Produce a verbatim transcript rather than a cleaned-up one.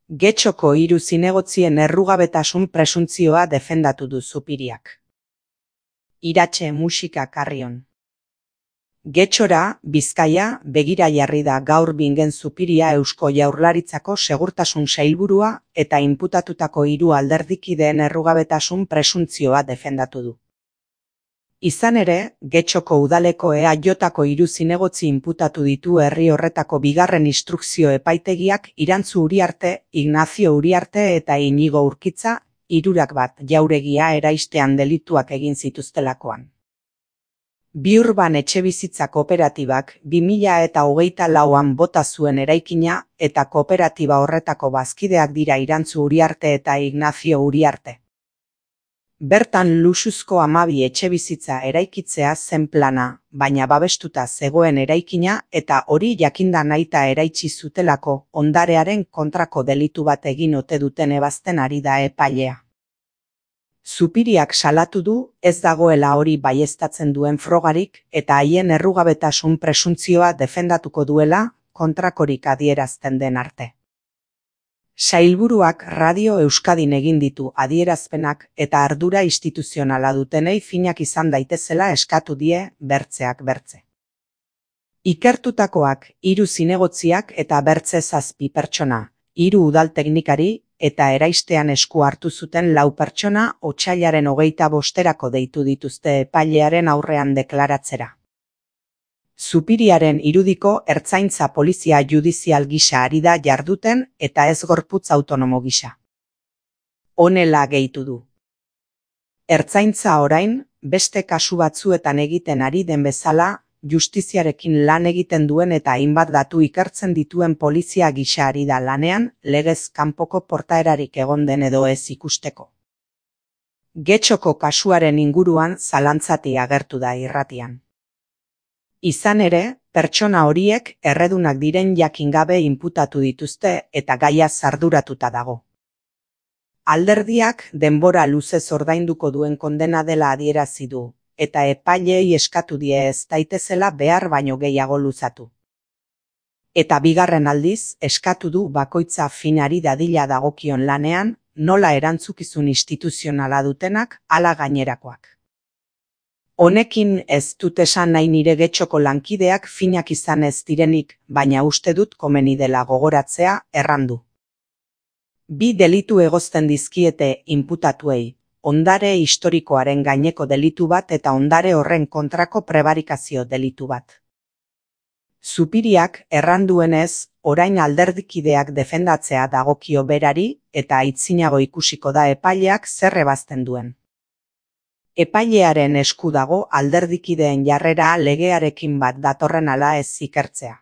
Getxoko hiru zinegotzien errugabetasun presuntzioa defendatu du Zupiriak. Iratxe musika Karrion. Getxora, Bizkaia, begira jarri da gaur Bingen Zupiria Eusko Jaurlaritzako Segurtasun Sailburua eta inputatutako hiru alderdikideen errugabetasun presuntzioa defendatu du. Izan ere, Getxoko udaleko E A Jko hiru zinegotzi inputatu ditu herri horretako bigarren instrukzio epaitegiak Irantzu Uriarte, Ignacio Uriarte eta Inigo Urkitza, hirurak bat jauregia eraistean delituak egin zituztelakoan. Biurban etxebizitza kooperatibak bi mila eta hogeita lauan bota zuen eraikina eta kooperatiba horretako bazkideak dira Irantzu Uriarte eta Ignacio Uriarte. Bertan luxuzko hamabi etxebizitza eraikitzea zen plana, baina babestuta zegoen eraikina eta hori jakinda nahita eraitsi zutelako ondarearen kontrako delitu bat egin ote duten ebazten ari da epailea. Zupiriak salatu du ez dagoela hori baieztatzen duen frogarik eta haien errugabetasun presuntzioa defendatuko duela kontrakorik adierazten den arte. Sailburuak Radio Euskadin egin ditu adierazpenak eta ardura instituzionala dutenei finak izan daitezela eskatu die bertzeak bertze. Ikertutakoak hiru zinegotziak eta bertze zazpi pertsona, hiru udal teknikari eta eraistean esku hartu zuten lau pertsona otsailaren hogeita bosterako deitu dituzte epailearen aurrean deklaratzera. Zupiriaren irudiko ertzaintza polizia judizial gisa ari da jarduten eta ez gorputz autonomo gisa. Honela gehitu du. Ertzaintza orain, beste kasu batzuetan egiten ari den bezala, justiziarekin lan egiten duen eta hainbat datu ikertzen dituen polizia gisa ari da lanean, legez kanpoko portaerarik egon den edo ez ikusteko. Getxoko kasuaren inguruan zalantzati agertu da irratian. Izan ere, pertsona horiek erredunak diren jakin gabe inputatu dituzte eta gaia arduratuta dago. Alderdiak denbora luzez ordainduko duen kondena dela adierazi du, eta epaileei eskatu die ez daitezela behar baino gehiago luzatu. Eta bigarren aldiz, eskatu du bakoitza finari dadila dagokion lanean, nola erantzukizun instituzionala dutenak, hala gainerakoak. Honekin ez dut esan nahi nire Getxoko lankideak finak izan ez direnik, baina uste dut komeni dela gogoratzea errandu. Bi delitu egozten dizkiete inputatuei, ondare historikoaren gaineko delitu bat eta ondare horren kontrako prebarikazio delitu bat. Zupiriak erranduenez, orain alderdikideak defendatzea dagokio berari eta aitzinago ikusiko da epaileak zer ebazten duen. Epailearen esku dago alderdikideen jarrera legearekin bat datorren ala ez ikertzea.